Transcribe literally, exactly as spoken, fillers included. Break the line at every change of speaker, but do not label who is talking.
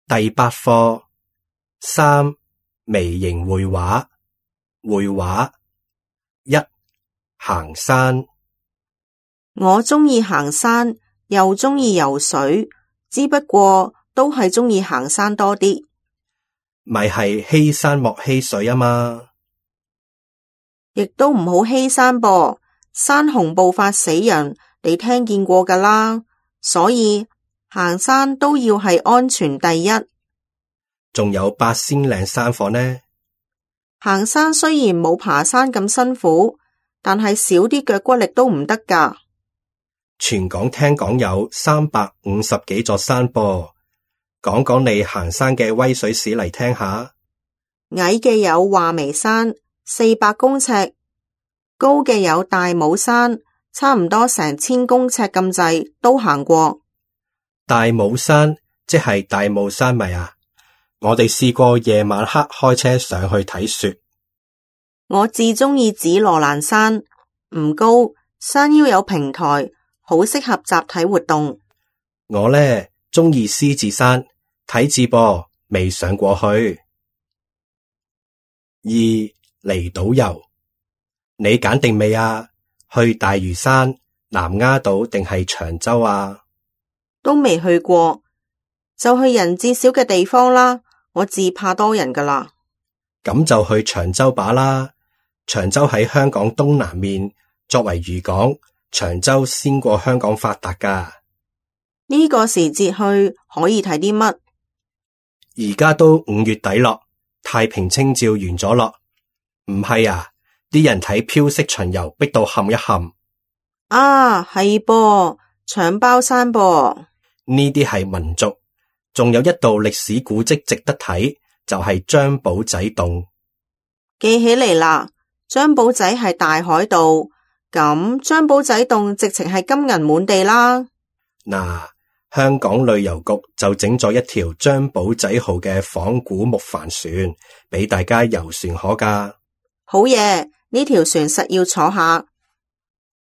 第八課三微型繪畫。繪畫一行山。
我鍾意行山，又鍾意游水，只不過都係鍾意行山多啲。
咪係欺山莫欺水啊嘛，
亦都唔好欺山噃，山洪暴發死人，你聽見過㗎啦。所以行山都要係安全第一。
仲有八仙嶺山火呢。
行山雖然冇爬山咁辛苦，但係少啲腳骨力都唔得㗎。
全港聽講有三百五十幾座山噃，講講你行山嘅威水史嚟聽下。
矮嘅有話眉山，四百公尺；高嘅有大帽山，差唔多成千公尺咁滯，都行過。
大帽山即係大霧山咪啊？我哋試過夜晚黑開車上去睇雪。
我至鍾意紫羅蘭山，唔高，山腰有平台，好適合集體活動。
我呢，鍾意獅子山，睇字噃，未上過去。二離島遊，你揀定未啊？去大嶼山、南丫島定係長洲啊？
都未去過，就去人至少嘅地方啦。我自怕多人㗎啦。
咁就去長洲把啦。長洲喺香港東南面，作為漁港，長洲先過香港發達㗎。
呢個時節去可以睇啲乜？
而家都五月底咯，太平清醮完咗咯。唔係啊，啲人睇飄色巡遊逼到冚一冚。
啊，係噃，搶包山噃。
呢啲係民族，仲有一道歷史古蹟值得睇，就係張保仔洞。
記起嚟啦，張保仔係大海盜，咁張保仔洞直情係金銀滿地啦。
嗱，香港旅遊局就整咗一條張保仔號嘅仿古木帆船，俾大家遊船河㗎。
好嘢，呢條船實要坐下。